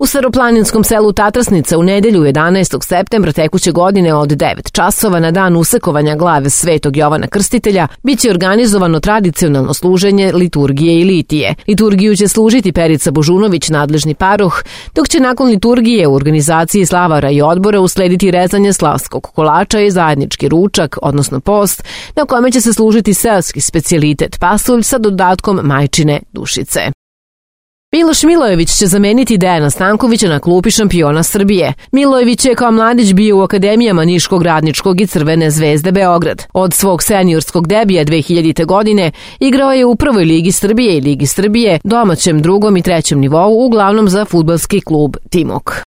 U staroplaninskom selu Tatrasnica u nedelju 11. septembra tekuće godine od 9 časova na dan usekovanja glave Svetog Jovana Krstitelja biće organizovano tradicionalno služenje liturgije i litije. Liturgiju će služiti Perica Božunović, nadležni paroh, dok će nakon liturgije u organizaciji slavara i odbora uslediti rezanje slavskog kolača i zajednički ručak, odnosno post, na kome će se služiti seoski specijalitet pasulj sa dodatkom majčine dušice. Miloš Milojević će zameniti Dejana Stankovića na klupi šampiona Srbije. Milojević je kao mladić bio u akademijama Niškog radničkog i Crvene zvezde Beograd. Od svog seniorskog debija 2000. godine igrao je u prvoj ligi Srbije i Ligi Srbije, domaćem, drugom i trećem nivou, uglavnom za fudbalski klub Timok.